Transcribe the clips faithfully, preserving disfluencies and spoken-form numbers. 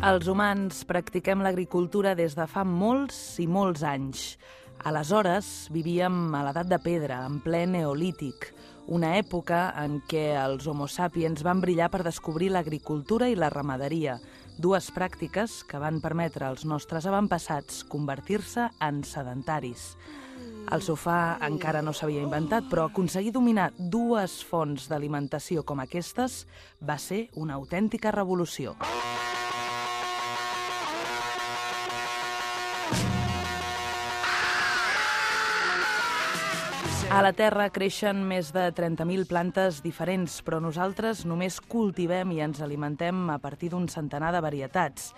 Els humans practiquem l'agricultura des de fa molts i molts anys. Aleshores vivíem a l'edat de pedra, en ple neolític, una època en què els homo sapiens van brillar per descobrir l'agricultura i la ramaderia, dues pràctiques que van permetre als nostres avantpassats convertir-se en sedentaris. El sofà encara no s'havia inventat, però aconseguir dominar dues fonts d'alimentació com aquestes va ser una autèntica revolució. A la Terra creixen més de trenta mil plantes diferents, però nosaltres només cultivem i ens alimentem a partir d'un centenar de varietats.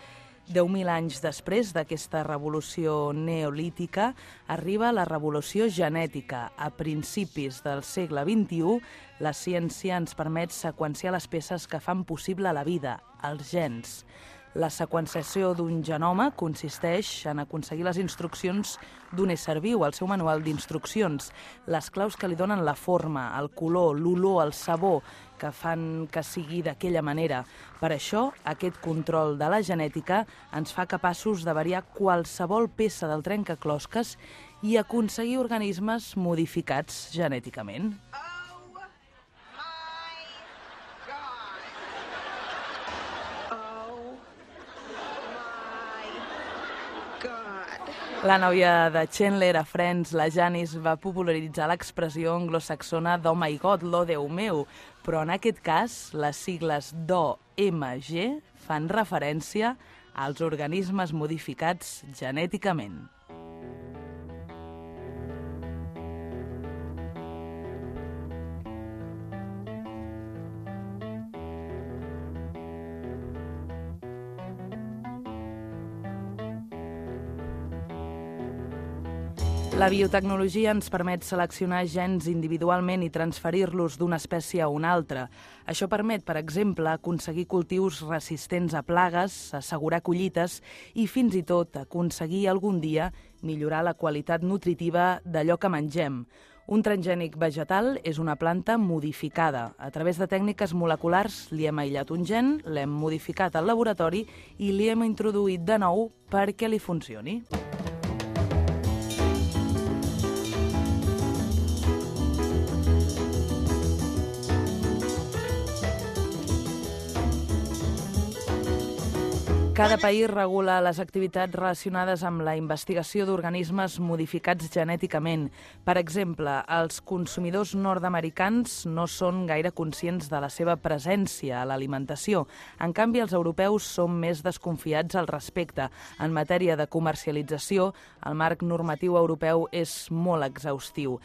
Deu mil anys després d'aquesta revolució neolítica, arriba la revolució genètica. A principis del segle vint-i-u, la ciència ens permet seqüenciar les peces que fan possible la vida, els gens. La seqüenciació d'un genoma consisteix en aconseguir les instruccions d'un ésser viu, el seu manual d'instruccions, les claus que li donen la forma, el color, l'olor, el sabor, que fan que sigui d'aquella manera. Per això, aquest control de la genètica ens fa capaços de variar qualsevol peça del trencaclosques i aconseguir organismes modificats genèticament. La nòvia de Chandler a Friends, la Janice, va popularitzar l'expressió anglosaxona d'Oh my God, lo Déu meu, però en aquest cas les sigles d'O M G fan referència als organismes modificats genèticament. La biotecnologia ens permet seleccionar gens individualment i transferir-los d'una espècie a una altra. Això permet, per exemple, aconseguir cultius resistents a plagues, assegurar collites i fins i tot aconseguir algun dia millorar la qualitat nutritiva d'allò que mengem. Un transgènic vegetal és una planta modificada. A través de tècniques moleculars li hem aïllat un gen, l'hem modificat al laboratori i li hem introduït de nou perquè li funcioni. Cada país regula les activitats relacionades amb la investigació d'organismes modificats genèticament. Per exemple, els consumidors nord-americans no són gaire conscients de la seva presència a l'alimentació. En canvi, els europeus són més desconfiats al respecte. En matèria de comercialització, el marc normatiu europeu és molt exhaustiu.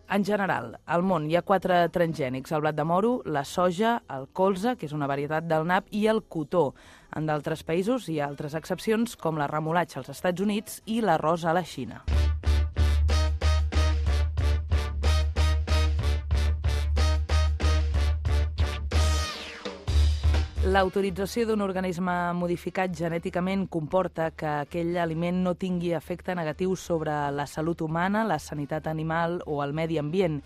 En general, al món hi ha quatre transgènics, el blat de moro, la soja, el colza, que és una varietat del nap, i el cotó. En d'altres països hi ha altres excepcions, com la remolatxa als Estats Units i l'arròs a la Xina. L'autorització d'un organisme modificat genèticament comporta que aquell aliment no tingui efecte negatiu sobre la salut humana, la sanitat animal o el medi ambient.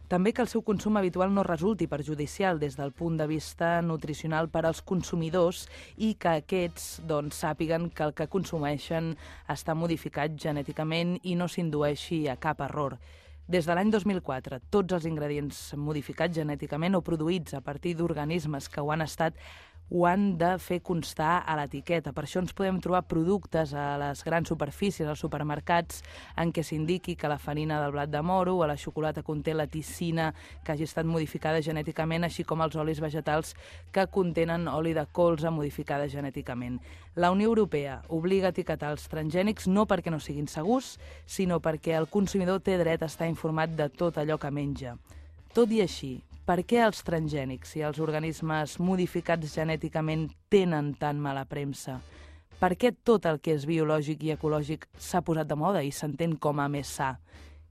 També que el seu consum habitual no resulti perjudicial des del punt de vista nutricional per als consumidors i que aquests doncs, sàpiguen que el que consumeixen està modificat genèticament i no s'indueixi a cap error. Des de l'any dos mil quatre, tots els ingredients modificats genèticament o produïts a partir d'organismes que ho han estat ho han de fer constar a l'etiqueta. Per això ens podem trobar productes a les grans superfícies, als supermercats, en què s'indiqui que la farina del blat de moro o la xocolata conté la ticina que hagi estat modificada genèticament, així com els olis vegetals que contenen oli de colza modificada genèticament. La Unió Europea obliga a etiquetar els transgènics no perquè no siguin segurs, sinó perquè el consumidor té dret a estar informat de tot allò que menja. Tot i així, per què els transgènics i els organismes modificats genèticament tenen tan mala premsa? Per què tot el que és biològic i ecològic s'ha posat de moda i s'entén com a més sa?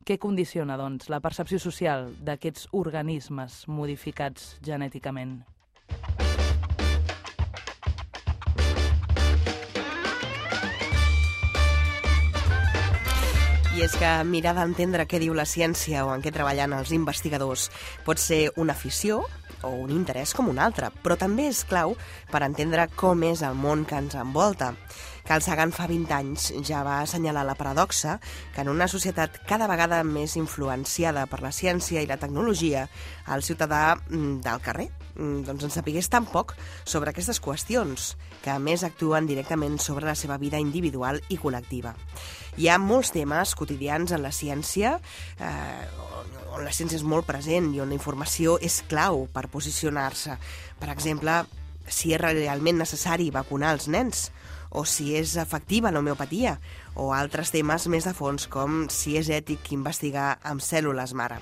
Què condiciona, doncs, la percepció social d'aquests organismes modificats genèticament? I és que mirar d'entendre què diu la ciència o en què treballen els investigadors pot ser una afició o un interès com un altre, però també és clau per entendre com és el món que ens envolta. Carl Sagan fa vint anys ja va assenyalar la paradoxa que en una societat cada vegada més influenciada per la ciència i la tecnologia, el ciutadà del carrer doncs en sapigués tan poc sobre aquestes qüestions, que a més actuen directament sobre la seva vida individual i col·lectiva. Hi ha molts temes quotidians en la ciència, eh, on la ciència és molt present i on la informació és clau per posicionar-se. Per exemple, si és realment necessari vacunar els nens, o si és efectiva l'homeopatia, o altres temes més de fons com si és ètic investigar amb cèl·lules mare.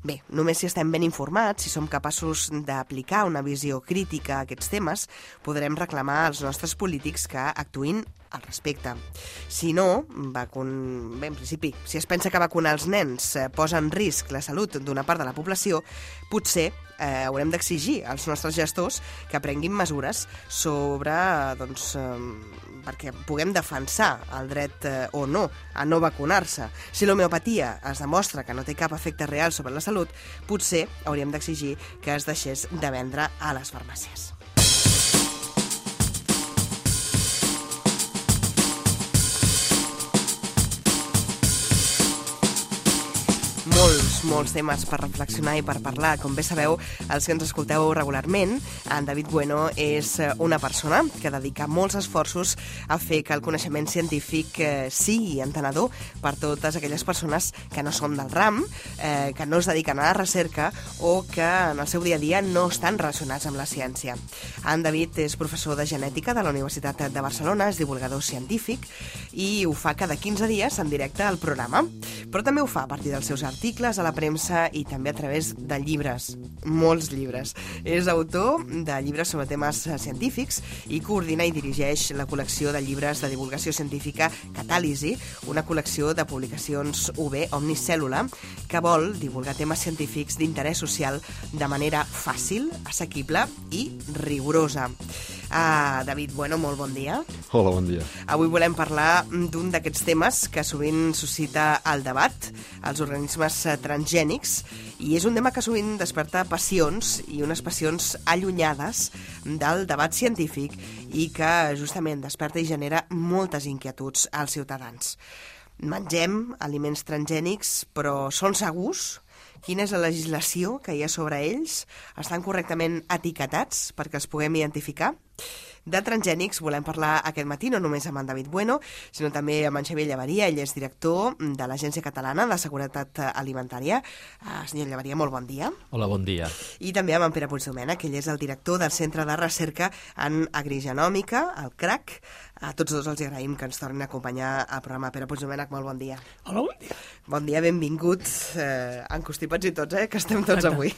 Bé, només si estem ben informats, si som capaços d'aplicar una visió crítica a aquests temes, podrem reclamar als nostres polítics que actuïn al respecte. Si no, vacun... bé, en principi, si es pensa que vacunar els nens eh, posa en risc la salut d'una part de la població, potser eh, haurem d'exigir als nostres gestors que prenguin mesures sobre, doncs, eh, perquè puguem defensar el dret eh, o no a no vacunar-se. Si l'homeopatia es demostra que no té cap efecte real sobre la salut, potser hauríem d'exigir que es deixés de vendre a les farmàcies. Molts, molts temes per reflexionar i per parlar. Com bé sabeu, els que ens escolteu regularment, en David Bueno és una persona que dedica molts esforços a fer que el coneixement científic eh, sigui entenedor per totes aquelles persones que no són del ram, eh, que no es dediquen a la recerca o que en el seu dia a dia no estan relacionats amb la ciència. En David és professor de genètica de la Universitat de Barcelona, és divulgador científic i ho fa cada quinze dies en directe al programa, però també ho fa a partir dels seus articles a la premsa i també a través de llibres, molts llibres. És autor de llibres sobre temes científics i coordina i dirigeix la col·lecció de llibres de divulgació científica Catàlisi, una col·lecció de publicacions U B Omnicèl·lula que vol divulgar temes científics d'interès social de manera fàcil, assequible i rigorosa. Uh, David Bueno, molt bon dia. Hola, bon dia. Avui volem parlar d'un d'aquests temes que sovint suscita el debat, els organismes transgènics, i és un tema que sovint desperta passions i unes passions allunyades del debat científic i que justament desperta i genera moltes inquietuds als ciutadans. Mengem aliments transgènics, però són segurs? Quina és la legislació que hi ha sobre ells? Estan correctament etiquetats perquè els puguem identificar? De transgènics volem parlar aquest matí, no només amb en David Bueno, sinó també amb en Xavier Llavaria. Ell és director de l'Agència Catalana de Seguretat Alimentària. Uh, senyor Llavaria, molt bon dia. Hola, bon dia. I també amb en Pere Puigdomènech, que ell és el director del Centre de Recerca en Agrigenòmica, el C R A C. A tots dos els agraïm que ens tornin a acompanyar al programa. Pere Puigdomènech, molt bon dia. Hola, bon dia. Bon dia, benvinguts, eh, encostipats i tots, eh, que estem tots avui.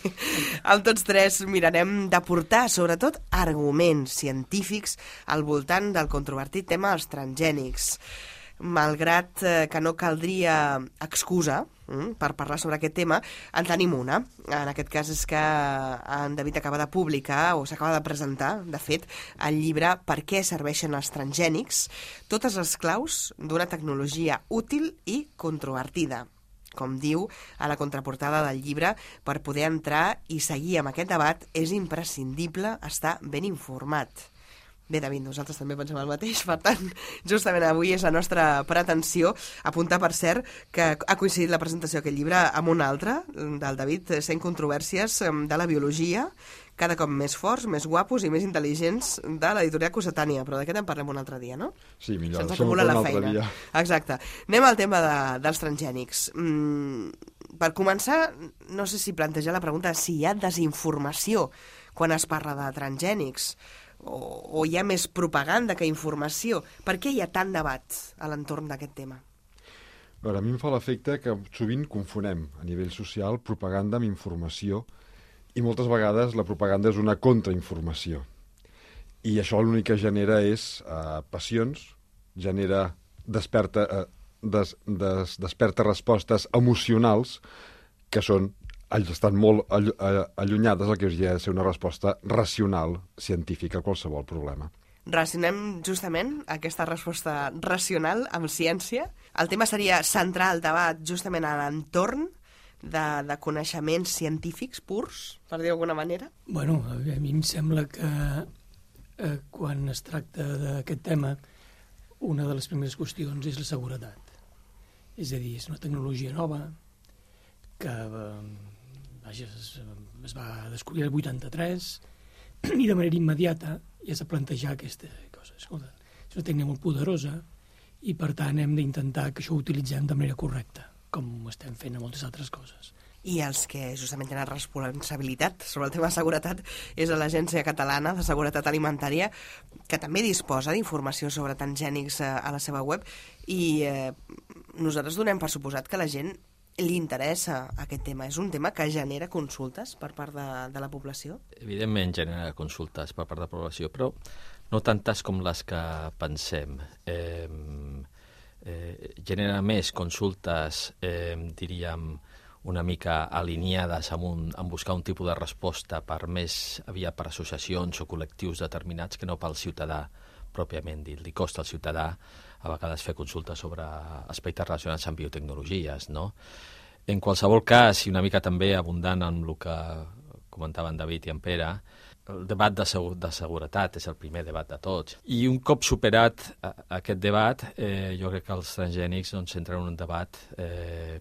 Amb tots tres mirarem d'aportar, sobretot, arguments científics al voltant del controvertit tema dels transgènics. Malgrat eh, que no caldria excusa mm, per parlar sobre aquest tema, en tenim una. En aquest cas és que en David acaba de publicar, o s'acaba de presentar, de fet, el llibre Per què serveixen els transgènics? Totes les claus d'una tecnologia útil i controvertida. Com diu a la contraportada del llibre, per poder entrar i seguir amb aquest debat és imprescindible estar ben informat. Bé, David, nosaltres també pensem el mateix, per tant, justament avui és la nostra pretensió apuntar, per cert, que ha coincidit la presentació d'aquest llibre amb un altre, del David, sent controvèrsies de la biologia, cada cop més forts, més guapos i més intel·ligents de l'editorial Cossetània, però d'aquest en parlem un altre dia, no? Sí, millor, se'ns això acumula la un altre feina. dia. Exacte. Anem al tema de, dels transgènics. Mm, per començar, no sé si plantejar la pregunta si hi ha desinformació quan es parla de transgènics, o, o hi ha més propaganda que informació. Per què hi ha tant debat a l'entorn d'aquest tema? A veure, a mi em fa l'efecte que sovint confonem a nivell social propaganda amb informació i moltes vegades la propaganda és una contrainformació. I això l'únic que genera és eh, passions, genera desperta, eh, des, des, desperta respostes emocionals que són estan molt allunyades del que hauria de ser una resposta racional, científica a qualsevol problema. Relacionem justament aquesta resposta racional amb ciència. El tema seria centrar el debat justament a l'entorn de, de coneixements científics purs, per dir d'alguna manera. Bueno, a mi em sembla que eh, quan es tracta d'aquest tema, una de les primeres qüestions és la seguretat. És a dir, és una tecnologia nova que eh, vaja, es, es va descobrir el vuitanta-tres i de manera immediata ja s'ha plantejat aquesta cosa. Escolta, és una tècnica molt poderosa i, per tant, hem d'intentar que això ho utilitzem de manera correcta, com estem fent a moltes altres coses. I els que justament tenen responsabilitat sobre el tema de seguretat és l'Agència Catalana de Seguretat Alimentària, que també disposa d'informació sobre transgènics a la seva web, i eh, nosaltres donem per suposat que la gent li interessa aquest tema. És un tema que genera consultes per part de, de la població? Evidentment genera consultes per part de la població, però no tantes com les que pensem. Eh, eh, genera més consultes, eh, diríem, una mica alineades amb, un, amb buscar un tipus de resposta per més aviat per associacions o col·lectius determinats que no pel ciutadà pròpiament dit. Li costa al ciutadà a vegades fer consultes sobre aspectes relacionats amb biotecnologies, no? En qualsevol cas, i una mica també abundant amb el que comentaven David i en Pere, el debat de, segu de seguretat és el primer debat de tots. I un cop superat a, a aquest debat, eh, jo crec que els transgènics doncs, entren en un debat eh,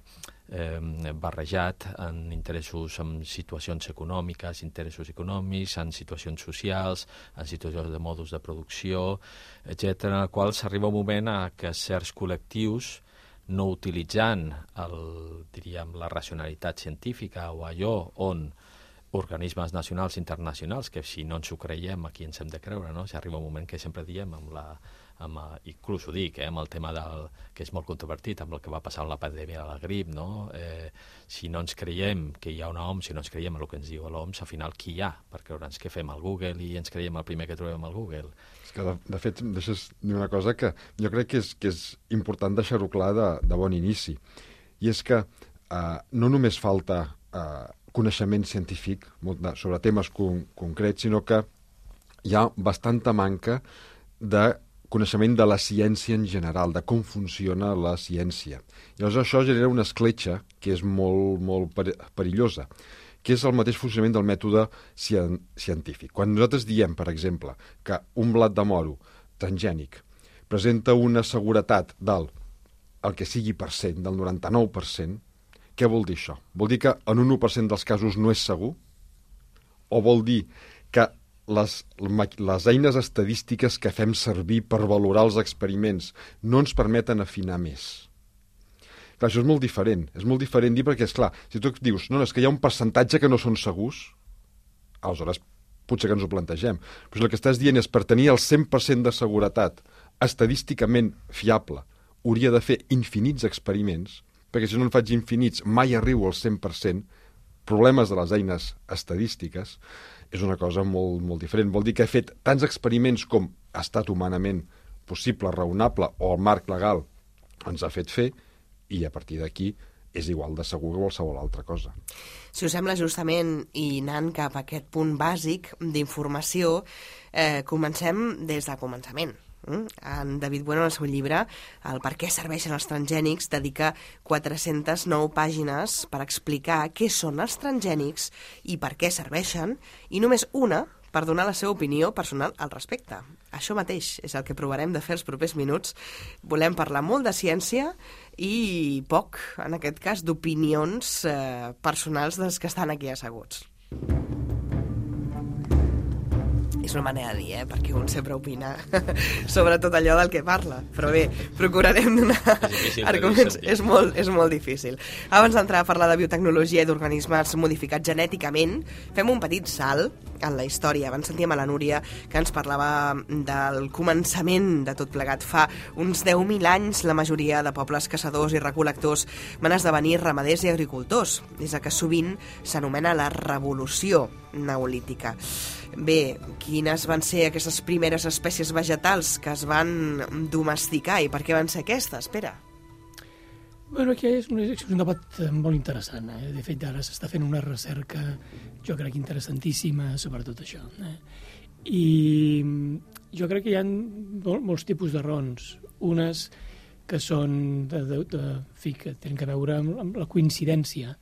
eh, barrejat en interessos, en situacions econòmiques, interessos econòmics, en situacions socials, en situacions de modus de producció, etcètera, en el qual s'arriba un moment a que certs col·lectius, no utilitzant el, diríem, la racionalitat científica o allò on organismes nacionals i internacionals, que si no ens ho creiem, aquí ens hem de creure, no? Si arriba un moment que sempre diem, amb la, amb, inclús ho dic, eh, amb el tema del, que és molt controvertit, amb el que va passar amb la pandèmia de la grip, no? Eh, si no ens creiem que hi ha una O M S, si no ens creiem el que ens diu l'O M S, al final qui hi ha? Per creure'ns què fem al Google i ens creiem el primer que trobem al Google. És que, de, de fet, em deixes dir una cosa que jo crec que és, que és important deixar-ho clar de, de bon inici, i és que eh, no només falta eh, coneixement científic sobre temes con concrets, sinó que hi ha bastanta manca de coneixement de la ciència en general, de com funciona la ciència. I llavors això genera una escletxa que és molt, molt perillosa, que és el mateix funcionament del mètode científic. Quan nosaltres diem, per exemple, que un blat de moro transgènic presenta una seguretat del el que sigui per cent, del noranta-nou per cent, què vol dir això? Vol dir que en un u per cent dels casos no és segur? O vol dir que les, les eines estadístiques que fem servir per valorar els experiments no ens permeten afinar més? Clar, això és molt diferent. És molt diferent dir perquè, esclar, si tu dius no, no, és que hi ha un percentatge que no són segurs, aleshores potser que ens ho plantegem. Però si el que estàs dient és per tenir el cent per cent de seguretat estadísticament fiable, hauria de fer infinits experiments, perquè si no en faig infinits mai arribo al cent per cent, problemes de les eines estadístiques, és una cosa molt, molt diferent. Vol dir que he fet tants experiments com ha estat humanament possible, raonable, o el marc legal ens ha fet fer, i a partir d'aquí és igual de segur que qualsevol altra cosa. Si us sembla, justament, i anant cap a aquest punt bàsic d'informació, eh, comencem des del començament. En David Bueno, en el seu llibre, el Per què serveixen els transgènics, dedica quatre-centes nou pàgines per explicar què són els transgènics i per què serveixen, i només una per donar la seva opinió personal al respecte. Això mateix és el que provarem de fer els propers minuts. Volem parlar molt de ciència i poc, en aquest cas, d'opinions eh, personals dels que estan aquí asseguts. És una manera de dir, eh? Perquè un sempre opina sobre tot allò del que parla. Però bé, procurarem donar arguments. És molt, és molt difícil. Abans d'entrar a parlar de biotecnologia i d'organismes modificats genèticament, fem un petit salt en la història. Abans sentíem a la Núria que ens parlava del començament de tot plegat. Fa uns deu mil anys la majoria de pobles caçadors i recol·lectors van esdevenir ramaders i agricultors, des que sovint s'anomena la revolució neolítica. Bé, quines van ser aquestes primeres espècies vegetals que es van domesticar i per què van ser aquestes, Pere? Bueno, aquí és un, és un debat molt interessant. Eh? De fet, ara s'està fent una recerca, jo crec, interessantíssima sobre tot això. Eh? I jo crec que hi ha mol, molts tipus de raons. Unes que són de, de, de, fi, que tenen a veure amb, amb la coincidència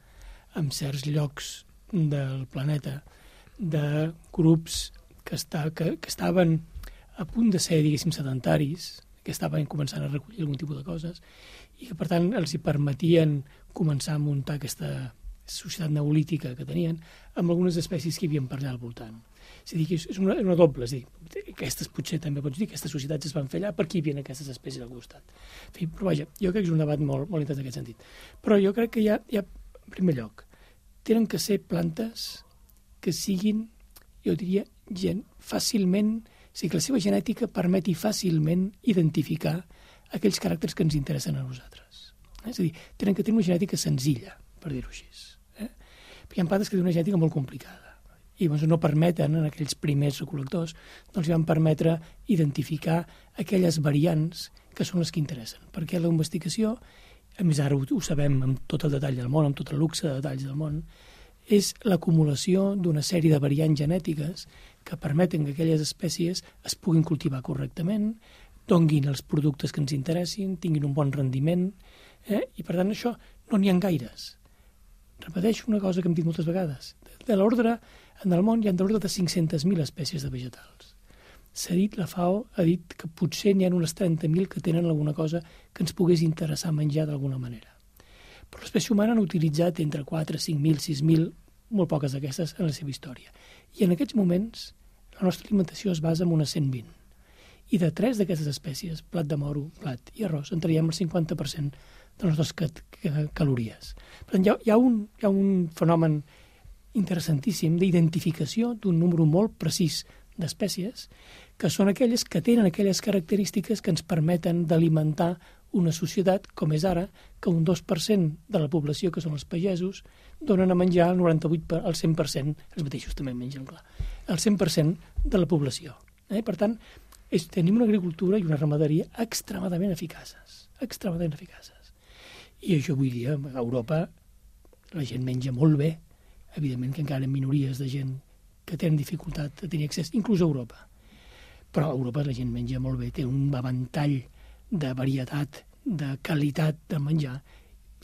en certs llocs del planeta de grups que, està, que, que estaven a punt de ser, diguéssim, sedentaris, que estaven començant a recollir algun tipus de coses i que, per tant, els hi permetien començar a muntar aquesta societat neolítica que tenien amb algunes espècies que hi havia per allà al voltant. És a dir, que és una, una doble, és a dir, aquestes potser també pots dir, aquestes societats es van fer allà perquè hi havia aquestes espècies al costat. En fi, però vaja, jo crec que és un debat molt, molt interessant en aquest sentit. Però jo crec que hi ha, hi ha, en primer lloc, tenen que ser plantes que siguin, jo diria, gent fàcilment, és a dir, que la seva genètica permeti fàcilment identificar aquells caràcters que ens interessen a nosaltres. Eh? És a dir, tenen que tenir una genètica senzilla, per dir-ho així. Eh? Perquè hi ha plantes que tenen una genètica molt complicada i doncs, no permeten, en aquells primers recol·lectors, doncs li van permetre identificar aquelles variants que són les que interessen. Perquè la investigació, a més ara ho, ho sabem amb tot el detall del món, amb tot el luxe de detalls del món, és l'acumulació d'una sèrie de variants genètiques que permeten que aquelles espècies es puguin cultivar correctament, donguin els productes que ens interessin, tinguin un bon rendiment, eh? I per tant això no n'hi ha gaires. Repeteixo una cosa que hem dit moltes vegades. De l'ordre, en el món hi ha de l'ordre de cinc-centes mil espècies de vegetals. S'ha dit, la FAO ha dit que potser n'hi ha unes trenta mil que tenen alguna cosa que ens pogués interessar menjar d'alguna manera. Però l'espècie humana han utilitzat entre quatre, cinc mil, sis mil, molt poques d'aquestes en la seva història. I en aquests moments la nostra alimentació es basa en unes cent vint. I de tres d'aquestes espècies, plat de moro, plat i arròs, en traiem el cinquanta per cent de les nostres calories. Per tant, hi ha, hi ha, un, hi ha un fenomen interessantíssim d'identificació d'un número molt precís d'espècies que són aquelles que tenen aquelles característiques que ens permeten d'alimentar una societat, com és ara, que un dos per cent de la població, que són els pagesos, donen a menjar el noranta-vuit per cent, el cent per cent, els mateixos també mengen, clar, el cent per cent de la població. Eh? Per tant, és, tenim una agricultura i una ramaderia extremadament eficaces, extremadament eficaces. I això avui dia, a Europa, la gent menja molt bé, evidentment que encara hi ha minories de gent que tenen dificultat de tenir accés, inclús a Europa. Però a Europa la gent menja molt bé, té un avantall de varietat, de qualitat de menjar,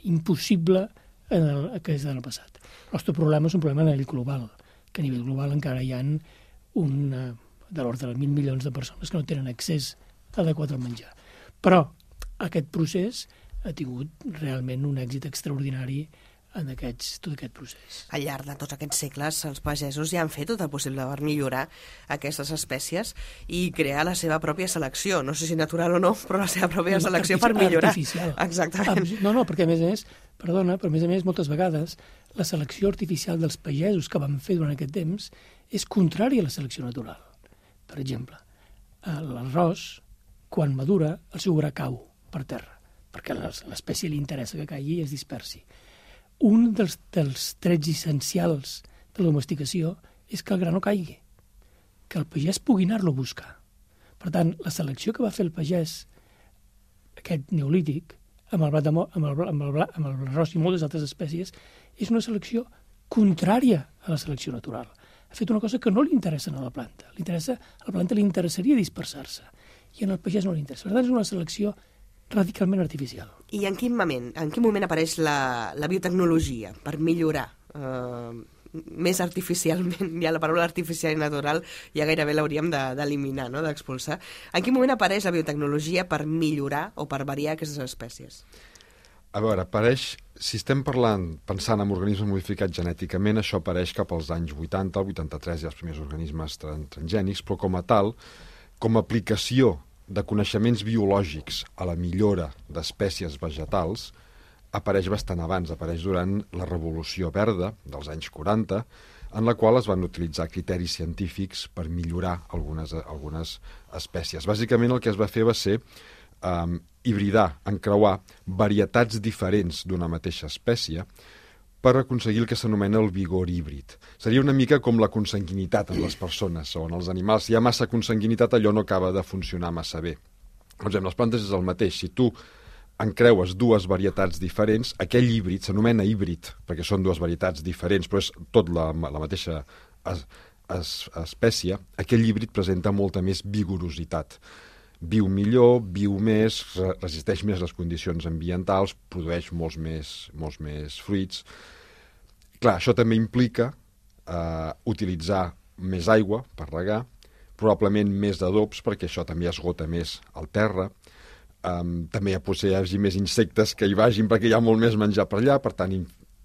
impossible en el, que és en el passat. El nostre problema és un problema a nivell global, que a nivell global encara hi ha un, de l'ordre de mil milions de persones que no tenen accés adequat al menjar. Però aquest procés ha tingut realment un èxit extraordinari en aquests, tot aquest procés. Al llarg de tots aquests segles, els pagesos ja han fet tot el possible per millorar aquestes espècies i crear la seva pròpia selecció. No sé si natural o no, però la seva pròpia no, selecció per millorar. Artificial. Exactament. No, no, perquè a més a més, perdona, però a més a més, moltes vegades, la selecció artificial dels pagesos que van fer durant aquest temps és contrària a la selecció natural. Per exemple, l'arròs, quan madura, el seu gra cau per terra, perquè a l'espècie li interessa que caigui i es dispersi. Un dels, dels trets essencials de la domesticació és que el gra no caigui, que el pagès pugui anar-lo a buscar. Per tant, la selecció que va fer el pagès, aquest neolític, amb el blat de mo, amb el, amb el, amb el arròs i moltes altres espècies, és una selecció contrària a la selecció natural. Ha fet una cosa que no li interessa a la planta. Li interessa, a la planta li interessaria dispersar-se, i en el pagès no li interessa. Per tant, és una selecció radicalment artificial. I en quin moment, en quin moment apareix la, la biotecnologia per millorar eh, més artificialment? Ja la paraula artificial i natural ja gairebé l'hauríem d'eliminar, no? D'expulsar. En quin moment apareix la biotecnologia per millorar o per variar aquestes espècies? A veure, apareix, si estem parlant, pensant en organismes modificats genèticament, això apareix cap als anys vuitanta, el vuitanta-tres hi ha els primers organismes transgènics, però com a tal, com a aplicació de coneixements biològics a la millora d'espècies vegetals apareix bastant abans, apareix durant la Revolució Verda dels anys quaranta, en la qual es van utilitzar criteris científics per millorar algunes, algunes espècies. Bàsicament el que es va fer va ser um, hibridar, encreuar varietats diferents d'una mateixa espècie per aconseguir el que s'anomena el vigor híbrid. Seria una mica com la consanguinitat en les persones o en els animals. Si hi ha massa consanguinitat, allò no acaba de funcionar massa bé. Doncs en les plantes és el mateix. Si tu encreues dues varietats diferents, aquell híbrid s'anomena híbrid, perquè són dues varietats diferents, però és tot la, la mateixa es, es, espècie, aquell híbrid presenta molta més vigorositat. Viu millor, viu més, resisteix més les condicions ambientals, produeix molts més, molts més fruits. Clar, això també implica eh, utilitzar més aigua per regar, probablement més d'adobs, perquè això també esgota més al terra. Um, també potser hi hagi més insectes que hi vagin perquè hi ha molt més menjar per allà, per tant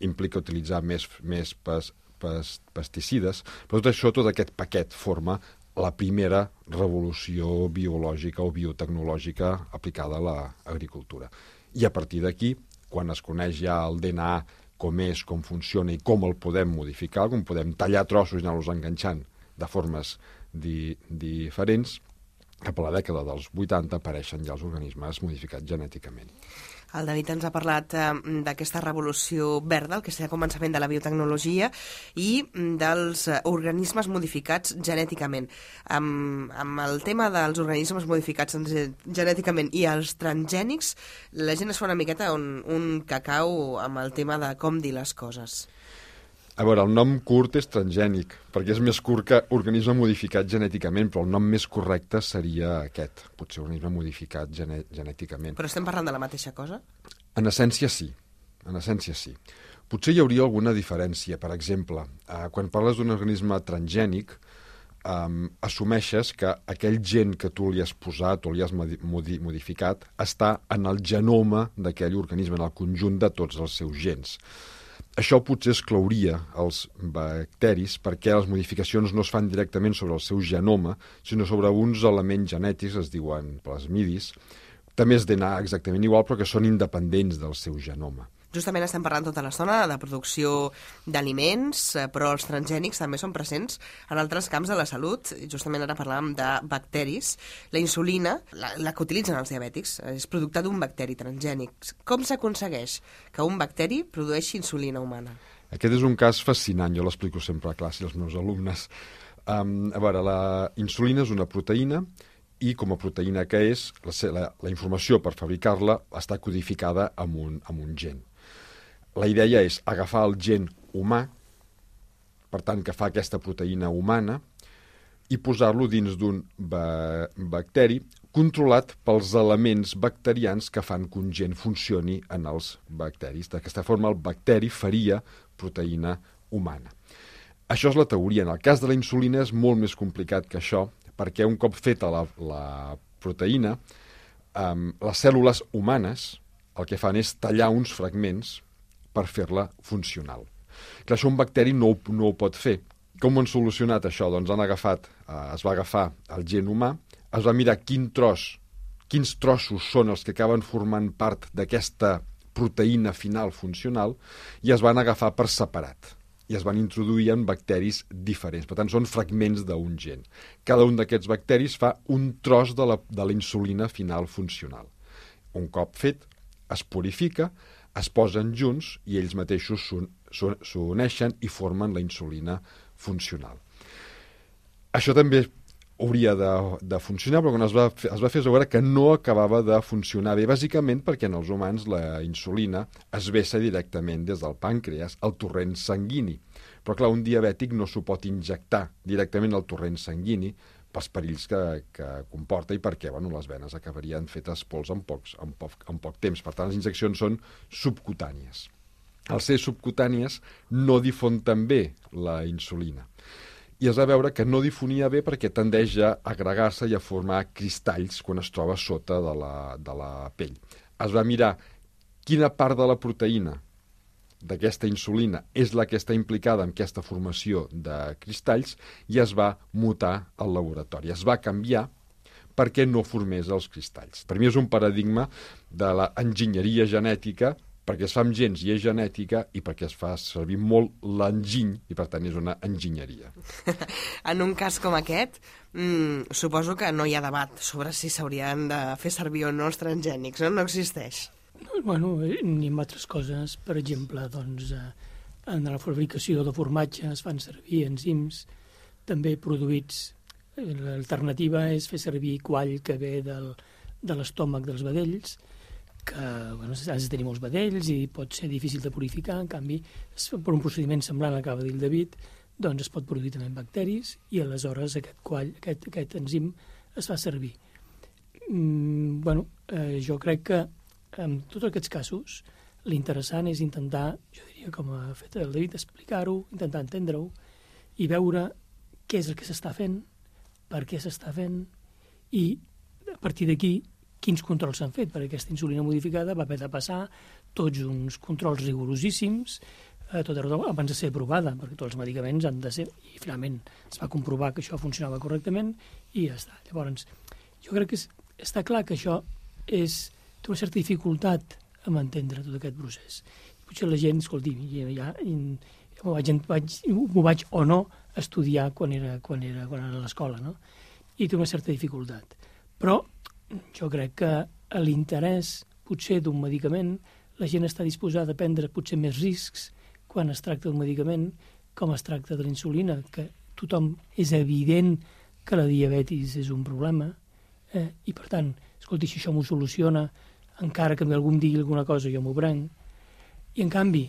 implica utilitzar més, més pes, pes, pesticides, però tot això, tot aquest paquet forma la primera revolució biològica o biotecnològica aplicada a l'agricultura. I a partir d'aquí, quan es coneix ja el D N A, com és, com funciona i com el podem modificar, com podem tallar trossos i anar-los enganxant de formes di, diferents, cap a la dècada dels vuitanta apareixen ja els organismes modificats genèticament. El David ens ha parlat eh, d'aquesta revolució verda, el que serà el començament de la biotecnologia, i dels eh, organismes modificats genèticament. Amb, amb el tema dels organismes modificats genèticament i els transgènics, la gent es fa una miqueta un, un cacau amb el tema de com dir les coses. A veure, el nom curt és transgènic, perquè és més curt que organisme modificat genèticament, però el nom més correcte seria aquest, potser organisme modificat gené genèticament. Però estem parlant de la mateixa cosa? En essència, sí. En essència, sí. Potser hi hauria alguna diferència. Per exemple, eh, quan parles d'un organisme transgènic, eh, assumeixes que aquell gen que tu li has posat o li has modi modificat està en el genoma d'aquell organisme, en el conjunt de tots els seus gens. Això potser exclouria els bacteris perquè les modificacions no es fan directament sobre el seu genoma, sinó sobre uns elements genètics, es diuen plasmidis, també és D N A exactament igual, però que són independents del seu genoma. Justament estem parlant tota l'estona de producció d'aliments, però els transgènics també són presents en altres camps de la salut. Justament ara parlàvem de bacteris. La insulina, la, la que utilitzen els diabètics, és producte d'un bacteri transgènic. Com s'aconsegueix que un bacteri produeixi insulina humana? Aquest és un cas fascinant, jo l'explico sempre a classe als meus alumnes. Um, a veure, la insulina és una proteïna i com a proteïna que és, la, la, la informació per fabricar-la està codificada amb un, amb un gen. La idea és agafar el gen humà, per tant, que fa aquesta proteïna humana, i posar-lo dins d'un ba bacteri controlat pels elements bacterians que fan que un gen funcioni en els bacteris. D'aquesta forma, el bacteri faria proteïna humana. Això és la teoria. En el cas de la insulina és molt més complicat que això, perquè un cop feta la, la proteïna, eh, les cèl·lules humanes el que fan és tallar uns fragments per fer-la funcional. Clar, això un bacteri no, no ho pot fer. Com ho han solucionat això? Doncs han agafat, eh, es va agafar el gen humà, es va mirar quin tros, quins trossos són els que acaben formant part d'aquesta proteïna final funcional i es van agafar per separat i es van introduir en bacteris diferents. Per tant, són fragments d'un gen. Cada un d'aquests bacteris fa un tros de la, de la insulina final funcional. Un cop fet, es purifica, es posen junts i ells mateixos s'uneixen i formen la insulina funcional. Això també hauria de, de funcionar, però quan es va, es va fer es va veure que no acabava de funcionar bé, bàsicament perquè en els humans la insulina es vessa directament des del pàncreas al torrent sanguini. Però clar, un diabètic no s'ho pot injectar directament al torrent sanguini pels perills que, que comporta i perquè bueno, les venes acabarien fetes pols en, pocs, en, poc, en poc temps. Per tant, les injeccions són subcutànies. Al ser subcutànies no difon tan bé la insulina. I es va veure que no difonia bé perquè tendeix a agregar-se i a formar cristalls quan es troba sota de la, de la pell. Es va mirar quina part de la proteïna d'aquesta insulina és la que està implicada en aquesta formació de cristalls i es va mutar al laboratori. Es va canviar perquè no formés els cristalls. Per mi és un paradigma de l'enginyeria genètica, perquè es fa amb gens i és genètica i perquè es fa servir molt l'enginy i per tant és una enginyeria. En un cas com aquest, mmm, suposo que no hi ha debat sobre si s'haurien de fer servir o no els transgènics, no? No existeix. Bueno, ni amb altres coses, per exemple, doncs, en la fabricació de formatge es fan servir enzims també produïts. L'alternativa és fer servir quall que ve del, de l'estómac dels vedells, que bueno, has de tenir molts vedells i pot ser difícil de purificar. En canvi, per un procediment semblant, acaba de dir el David, doncs es pot produir també en bacteris i aleshores aquest, quall, aquest, aquest enzim es fa servir. Mm, bueno, eh, jo crec que en tots aquests casos l'interessant és intentar, jo diria com ha fet el David, explicar-ho, intentar entendre-ho i veure què és el que s'està fent, per què s'està fent i a partir d'aquí quins controls s'han fet, perquè aquesta insulina modificada va haver de passar tots uns controls rigorosíssims eh, tot arreu abans de ser aprovada, perquè tots els medicaments han de ser, i finalment es va comprovar que això funcionava correctament i ja està. Llavors, jo crec que és, està clar que això és, té una certa dificultat en entendre tot aquest procés. Potser la gent, escolti, ja, ja, m'ho vaig, vaig, m'ho vaig o no estudiar quan era, quan era, quan era a l'escola, no? I té una certa dificultat. Però jo crec que a l'interès potser d'un medicament la gent està disposada a prendre potser més riscs quan es tracta d'un medicament com es tracta de la insulina, que tothom és evident que la diabetis és un problema eh? I per tant, escolti, si això m'ho soluciona, encara que algú em digui alguna cosa jo m'ho prenc. I en canvi,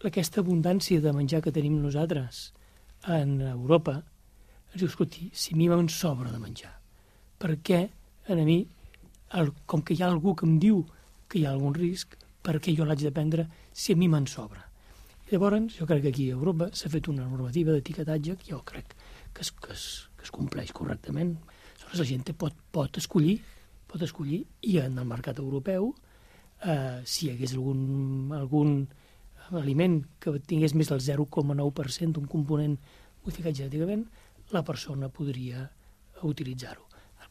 aquesta abundància de menjar que tenim nosaltres en Europa ens diu, escolti, si a mi me'n sobra de menjar, per què a mi, el, com que hi ha algú que em diu que hi ha algun risc, per què jo l'haig de prendre si a mi me'n sobra? I llavors, jo crec que aquí a Europa s'ha fet una normativa d'etiquetatge que jo crec que es, que es, que es compleix correctament. Aleshores, la gent pot, pot escollir, pot escollir, i en el mercat europeu, eh, si hi hagués algun, algun aliment que tingués més del zero coma nou per cent d'un component modificat genèticament, la persona podria utilitzar-ho.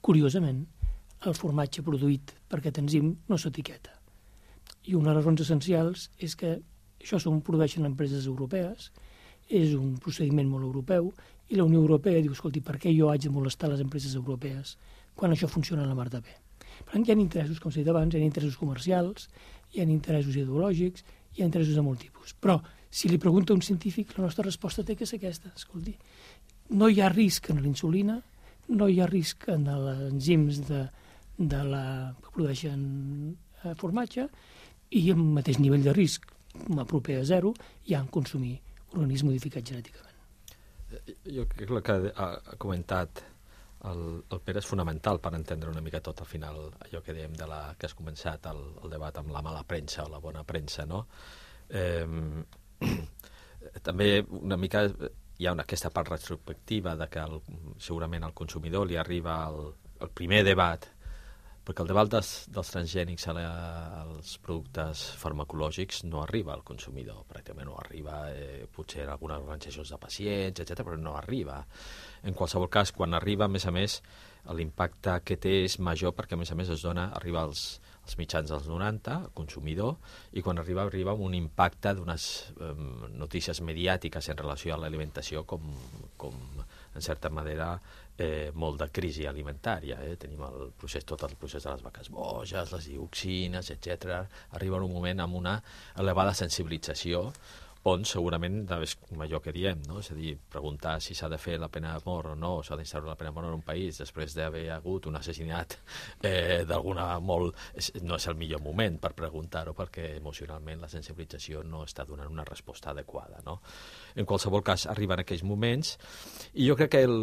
Curiosament, el formatge produït per aquest enzim no s'etiqueta. I una de les raons essencials és que això s'ho produeixen empreses europees, és un procediment molt europeu, i la Unió Europea diu, escolti, per què jo haig de molestar les empreses europees quan això funciona a la mar de bé? Per tant, hi ha interessos, com s'ha dit abans, hi ha interessos comercials, hi ha interessos ideològics, hi ha interessos de molt tipus. Però, si li pregunta a un científic, la nostra resposta té que ser aquesta. Escolti, no hi ha risc en la insulina, no hi ha risc en els enzims de, de la, que produeixen eh, formatge, i el mateix nivell de risc, a proper a zero, hi ha en consumir organismes modificats genèticament. Jo crec que el que ha comentat el, el Pere és fonamental per entendre una mica tot al final allò que dèiem de la, que has començat el, el debat amb la mala premsa o la bona premsa, no? Eh, també una mica hi ha una, aquesta part retrospectiva de que el, segurament al consumidor li arriba el, el primer debat, perquè el debat dels, dels transgènics als productes farmacològics no arriba al consumidor, pràcticament no arriba, eh, potser en algunes organitzacions de pacients, etcètera, però no arriba. En qualsevol cas, quan arriba, a més a més, l'impacte que té és major perquè, a més a més, es dona, arriba als, als mitjans dels noranta, al consumidor, i quan arriba, arriba amb un impacte d'unes eh, notícies mediàtiques en relació a l'alimentació com, com, en certa manera, eh, molt de crisi alimentària. Eh? Tenim el procés, tot el procés de les vaques boges, les dioxines, etcètera. Arriba en un moment amb una elevada sensibilització on segurament és allò que diem, no? És a dir, preguntar si s'ha de fer la pena de mort o no, s'ha d'instaurar la pena de mort en un país després d'haver hagut un assassinat eh, d'alguna molt... no és el millor moment per preguntar-ho perquè emocionalment la sensibilització no està donant una resposta adequada, no? En qualsevol cas, arriben aquells moments i jo crec que el...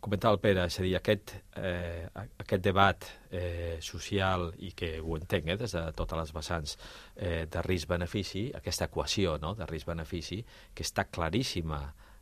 comentava el Pere, és a dir, aquest, eh, aquest debat eh, social i que ho entenc eh, des de totes les vessants eh, de risc-benefici, aquesta equació, no?, de risc-benefici, que està claríssima,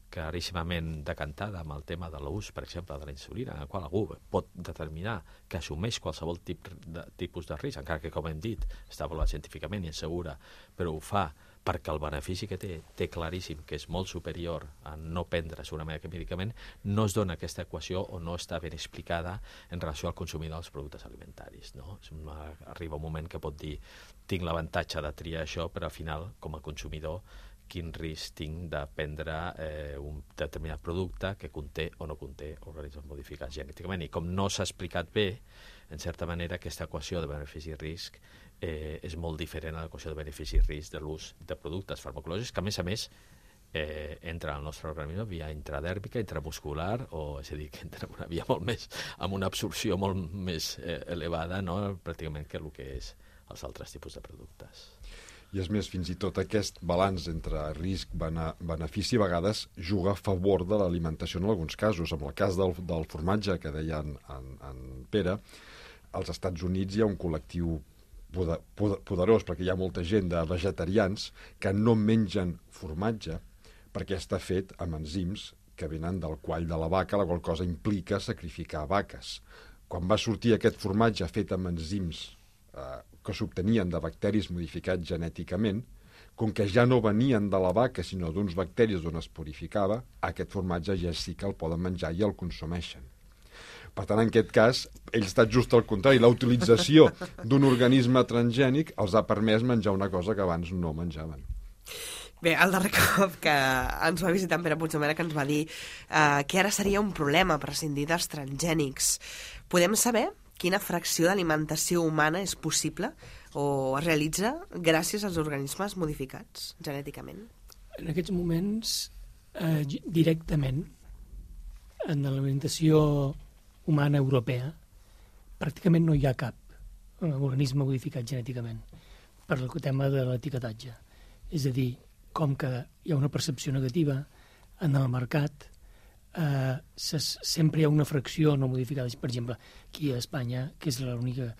claríssimament decantada amb el tema de l'ús, per exemple, de la insulina, en el qual algú pot determinar que assumeix qualsevol tip de, tipus de risc, encara que, com hem dit, està avaluat científicament i és segura, però ho fa perquè el benefici que té, té claríssim que és molt superior a no prendre segurament aquest medicament, no es dona aquesta equació o no està ben explicada en relació al consumidor dels productes alimentaris, no? Una, arriba un moment que pot dir tinc l'avantatge de triar això, però al final, com a consumidor, quin risc tinc de prendre eh, un determinat producte que conté o no conté organismes modificats genèticament. I com no s'ha explicat bé, en certa manera, aquesta equació de benefici-risc eh, és molt diferent a l'equació de benefici-risc de l'ús de productes farmacològics, que a més a més eh, entra al nostre organisme via intradèrmica, intramuscular, o és a dir, que entra en una via molt més, amb una absorció molt més eh, elevada, no?, pràcticament que el que és els altres tipus de productes. I és més, fins i tot aquest balanç entre risc-benefici a vegades juga a favor de l'alimentació en alguns casos. En el cas del, del formatge que deia en, en, en Pere, als Estats Units hi ha un col·lectiu poder, poder, poderós, perquè hi ha molta gent de vegetarians que no mengen formatge perquè està fet amb enzims que venen del quall de la vaca, la qual cosa implica sacrificar vaques. Quan va sortir aquest formatge fet amb enzims eh, que s'obtenien de bacteris modificats genèticament, com que ja no venien de la vaca, sinó d'uns bacteris d'on es purificava, aquest formatge ja sí que el poden menjar i el consumeixen. Per tant, en aquest cas, ell està just al contrari. La utilització d'un organisme transgènic els ha permès menjar una cosa que abans no menjaven. Bé, el darrer cop que ens va visitar en Pere Puigdomènech que ens va dir eh, que ara seria un problema prescindir dels transgènics. Podem saber quina fracció d'alimentació humana és possible o es realitza gràcies als organismes modificats genèticament? En aquests moments, eh, directament, en l'alimentació humana europea, pràcticament no hi ha cap organisme modificat genèticament per el tema de l'etiquetatge. És a dir, com que hi ha una percepció negativa en el mercat, eh, se, sempre hi ha una fracció no modificada. Per exemple, aquí a Espanya, que és l'única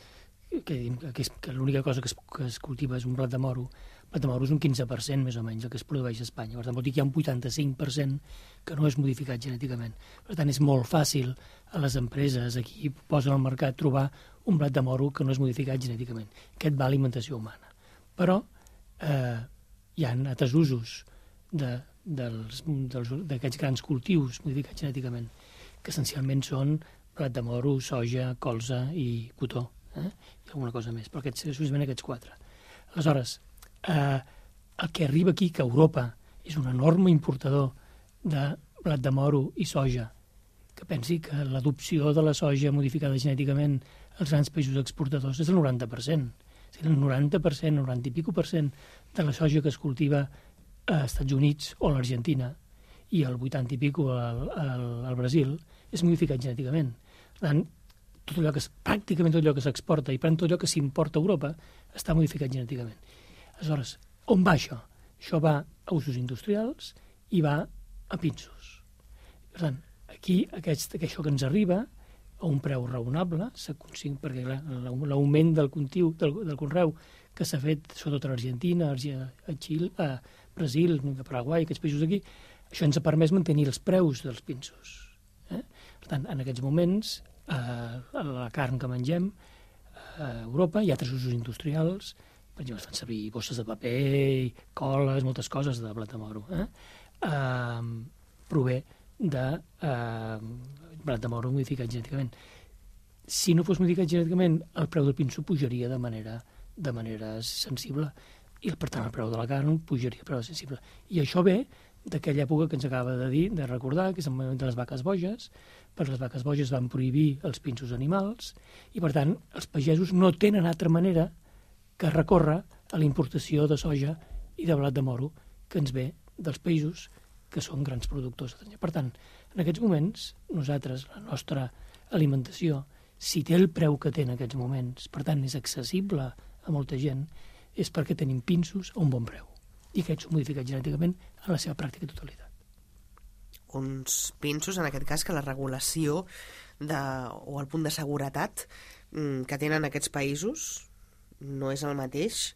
que, que, és, que l'única cosa que es, que es cultiva és un blat de moro, el blat de moro és un quinze per cent més o menys el que es produeix a Espanya. Per tant, vol dir que hi ha un vuitanta-cinc per cent que no és modificat genèticament. Per tant, és molt fàcil a les empreses aquí posen al mercat trobar un blat de moro que no és modificat genèticament. Aquest va a alimentació humana. Però eh, hi ha altres usos de, dels, dels, d'aquests grans cultius modificats genèticament, que essencialment són blat de moro, soja, colza i cotó, eh? I alguna cosa més, però aquests, exclusivament aquests quatre. Aleshores, eh, el que arriba aquí, que Europa és un enorme importador de blat de moro i soja, que pensi que l'adopció de la soja modificada genèticament als grans països exportadors és el noranta per cent. El noranta per cent, noranta i pico per cent de la soja que es cultiva als Estats Units o a l'Argentina i el vuitanta i pico al, al, al Brasil és modificat genèticament. Per tant, tot allò que, pràcticament tot allò que s'exporta i per tant tot allò que s'importa a Europa està modificat genèticament. Aleshores, on va això? Això va a usos industrials i va a pinsos. Per tant, aquí aquest, això que ens arriba a un preu raonable, perquè l'augment del cultiu, del, del conreu que s'ha fet sobretot a l'Argentina, a Xile, a Brasil, a Paraguai, aquests països aquí, això ens ha permès mantenir els preus dels pinsos. Eh? Per tant, en aquests moments, eh, la carn que mengem a Europa hi ha altres usos industrials, per exemple, es fan servir bosses de paper, coles, moltes coses de blat de moro. Eh? Eh, prové de eh, blat de moro modificat genèticament. Si no fos modificat genèticament, el preu del pinso pujaria de manera, de manera sensible i, per tant, el preu de la carn pujaria de preu sensible. I això ve d'aquella època que ens acaba de dir, de recordar, que és el moment de les vaques boges. Per les vaques boges van prohibir els pinsos animals i, per tant, els pagesos no tenen altra manera que recórrer a la importació de soja i de blat de moro que ens ve dels països que són grans productors. Per tant, en aquests moments, nosaltres, la nostra alimentació, si té el preu que té en aquests moments, per tant, és accessible a molta gent, és perquè tenim pinsos a un bon preu. I aquests són modificats genèticament en la seva pràctica totalitat. Uns pinsos, en aquest cas, que la regulació de, o el punt de seguretat que tenen aquests països no és el mateix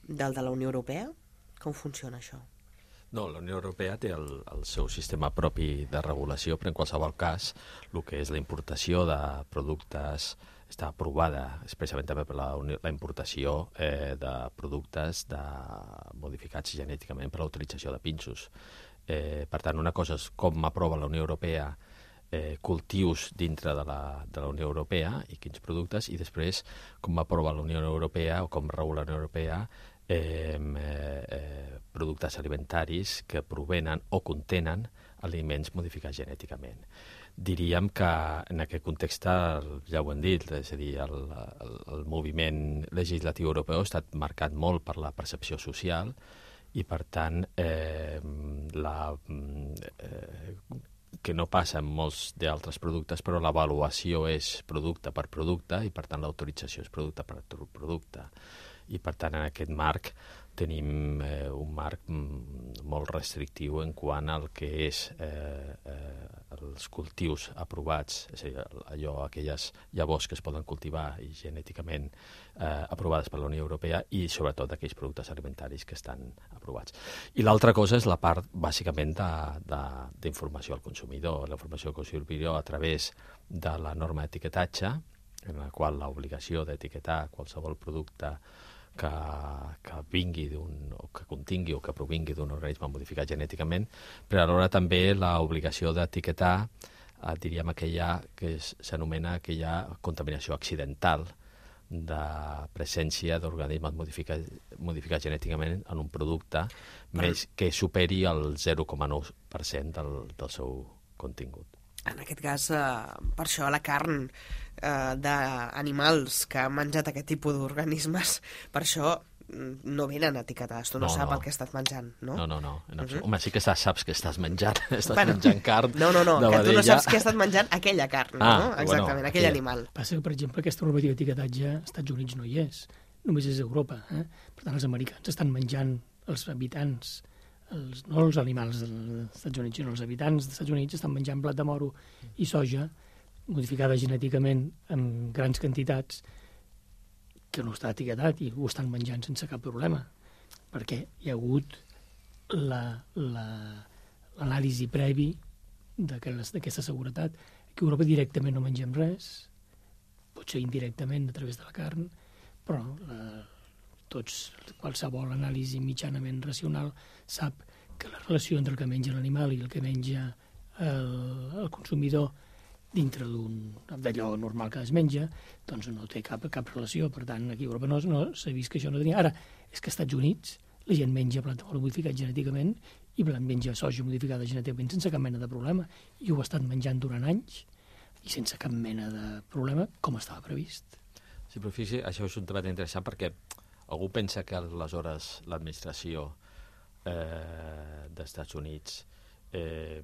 del de la Unió Europea? Com funciona això? No, la Unió Europea té el, el seu sistema propi de regulació, però en qualsevol cas el que és la importació de productes està aprovada especialment també per la, la importació eh, de productes de, modificats genèticament per a l'utilització de pinsos. Eh, per tant, una cosa és com aprova la Unió Europea eh, cultius dintre de la, de la Unió Europea i quins productes, i després com aprova la Unió Europea o com regula la Unió Europea Eh, eh, productes alimentaris que provenen o contenen aliments modificats genèticament. Diríem que en aquest context, ja ho hem dit, és a dir, el, el, el moviment legislatiu europeu ha estat marcat molt per la percepció social i, per tant, eh, la, eh, que no passa en molts d'altres productes, però l'avaluació és producte per producte i, per tant, l'autorització és producte per producte. I, per tant, en aquest marc tenim eh, un marc molt restrictiu en quant al que és eh, eh, els cultius aprovats, és a dir, allò, aquelles llavors que es poden cultivar i genèticament eh, aprovades per la Unió Europea i, sobretot, aquells productes alimentaris que estan aprovats. I l'altra cosa és la part, bàsicament, d'informació al consumidor. La informació al consumidor a través de la norma d'etiquetatge, en la qual l'obligació d'etiquetar qualsevol producte que, que vingui d'un, o que contingui o que provingui d'un organisme modificat genèticament, però alhora també l'obligació d'etiquetar, eh, diríem, aquella que s'anomena aquella contaminació accidental de presència d'organismes modificats, modificats genèticament en un producte més que superi el zero coma nou per cent del, del seu contingut. En aquest cas, eh, per això la carn eh, d'animals que han menjat aquest tipus d'organismes, per això no venen etiquetades. Tu no, no sap no. el que estàs menjant, no? No, no, no. En uh -huh. Home, sí que saps que estàs menjant. Estàs bueno, menjant carn No, no, no, de que vedella. tu no saps que estàs menjant aquella carn, ah, no? Exactament, bueno, aquell aquella. animal. Passa que, per exemple, aquesta normativa d'etiquetatge als Estats Units no hi és. Només és a Europa. Eh? Per tant, els americans estan menjant els habitants, els, no els animals dels Estats Units, sinó els habitants dels Estats Units estan menjant blat de moro i soja modificada genèticament en grans quantitats que no està etiquetat i ho estan menjant sense cap problema, perquè hi ha hagut l'anàlisi la, la, previ d'aquesta seguretat. Aquí a Europa directament no mengem res, potser indirectament a través de la carn, però la, tots, qualsevol anàlisi mitjanament racional sap que la relació entre el que menja l'animal i el que menja el, el consumidor dintre d'allò normal que es menja, doncs no té cap, cap relació. Per tant, aquí a Europa no, no s'ha vist que això no tenia. Ara, és que als Estats Units la gent menja blat de moro modificat genèticament i menja soja modificada genèticament sense cap mena de problema. I ho ha estat menjant durant anys i sense cap mena de problema, com estava previst. Sí, però fixi, això és un debat interessant perquè algú pensa que aleshores l'administració eh, dels Estats Units eh,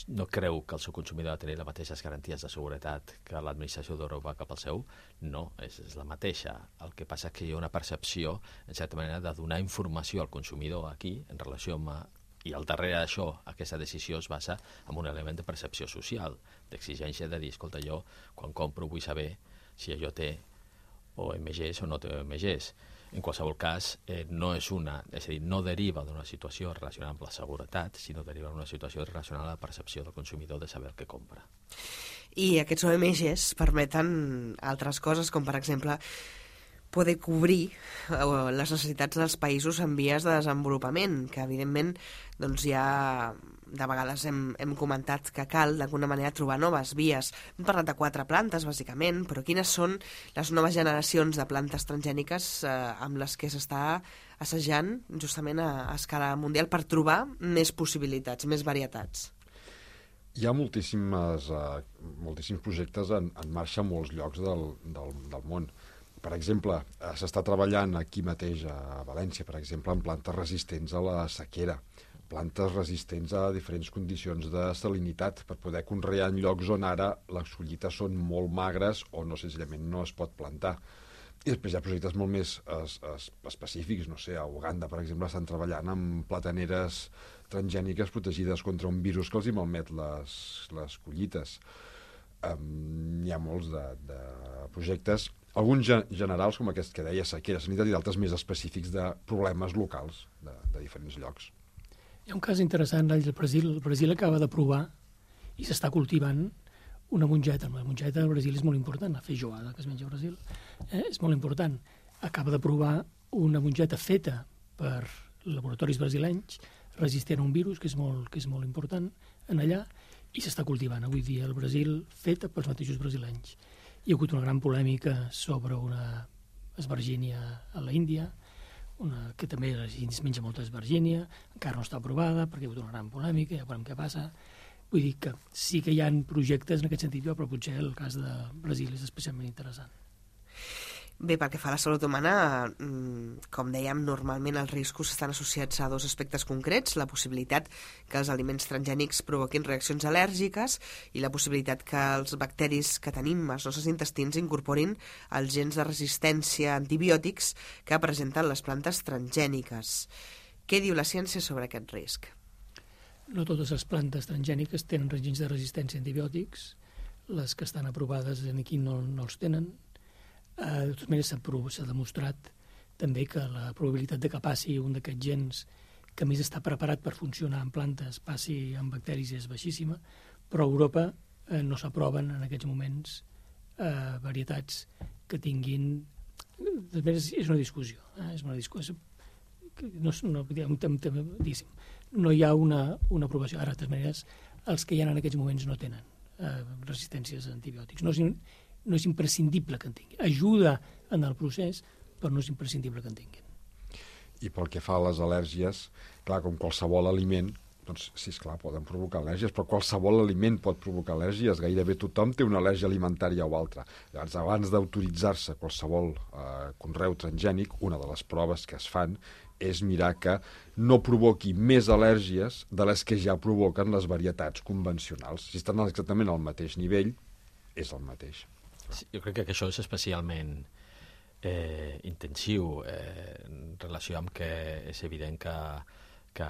no creu que el seu consumidor ha de tenir les mateixes garanties de seguretat que l'administració d'Europa cap al seu? No, és, és la mateixa. El que passa és que hi ha una percepció, en certa manera, de donar informació al consumidor aquí, en relació amb... I al darrere d'això, aquesta decisió es basa en un element de percepció social, d'exigència de dir, escolta, jo, quan compro, vull saber si allò té o M Gs o no té M Gs. En qualsevol cas, eh, no és una, és a dir, no deriva d'una situació relacionada amb la seguretat, sinó deriva d'una situació relacionada amb la percepció del consumidor de saber el que compra. I aquests O M Gs permeten altres coses, com per exemple poder cobrir les necessitats dels països en vies de desenvolupament, que evidentment doncs ja de vegades hem, hem comentat que cal d'alguna manera trobar noves vies. Hem parlat de quatre plantes, bàsicament, però quines són les noves generacions de plantes transgèniques eh, amb les que s'està assajant justament a, a escala mundial per trobar més possibilitats, més varietats? Hi ha moltíssimes, uh, moltíssims projectes en, en marxa a molts llocs del, del, del món. Per exemple, s'està treballant aquí mateix a València, per exemple, en plantes resistents a la sequera, plantes resistents a diferents condicions de salinitat per poder conrear en llocs on ara les collites són molt magres o no, senzillament no es pot plantar. I després hi ha projectes molt més es, es, específics, no sé, a Uganda, per exemple, estan treballant amb plataneres transgèniques protegides contra un virus que els hi malmet les, les collites. Um, hi ha molts de, de projectes, alguns generals, com aquest que deia, sequera, sanitat, i d'altres més específics de problemes locals de, de diferents llocs. Hi ha un cas interessant del Brasil. El Brasil acaba d'aprovar i s'està cultivant una mongeta. La mongeta del Brasil és molt important, la feijoada que es menja al Brasil eh, és molt important. Acaba d'aprovar una mongeta feta per laboratoris brasilenys, resistent a un virus que és molt, que és molt important en allà, i s'està cultivant avui dia al Brasil, feta pels mateixos brasilenys. Hi ha hagut una gran polèmica sobre una esvergínia a l'Índia, una que també es menja molta esvergínia, encara no està aprovada perquè hi ha hagut una gran polèmica, ja veurem què passa. Vull dir que sí que hi ha projectes en aquest sentit, però potser el cas de Brasil és especialment interessant. Bé, pel que fa a la salut humana, com dèiem, normalment els riscos estan associats a dos aspectes concrets, la possibilitat que els aliments transgènics provoquin reaccions al·lèrgiques i la possibilitat que els bacteris que tenim als nostres intestins incorporin els gens de resistència a antibiòtics que presenten les plantes transgèniques. Què diu la ciència sobre aquest risc? No totes les plantes transgèniques tenen gens de resistència a antibiòtics, les que estan aprovades aquí no, no els tenen. De totes maneres, s'ha demostrat també que la probabilitat de que passi un d'aquests gens que més està preparat per funcionar en plantes passi en bacteris és baixíssima, però a Europa eh, no s'aproven en aquests moments eh, varietats que tinguin... De totes maneres, és una discussió. Eh? És una discussió. No, no, no hi ha una, una aprovació. Ara, de totes maneres, els que hi ha en aquests moments no tenen eh, resistències a antibiòtics. No és, no és imprescindible que en tinguin. Ajuda en el procés, però no és imprescindible que en tinguin. I pel que fa a les al·lèrgies, clar, com qualsevol aliment, doncs sí, esclar, poden provocar al·lèrgies, però qualsevol aliment pot provocar al·lèrgies. Gairebé tothom té una al·lèrgia alimentària o altra. Llavors, abans d'autoritzar-se qualsevol eh, conreu transgènic, una de les proves que es fan és mirar que no provoqui més al·lèrgies de les que ja provoquen les varietats convencionals. Si estan exactament al mateix nivell, és el mateix. Sí, jo crec que això és especialment eh, intensiu eh, en relació amb que és evident que, que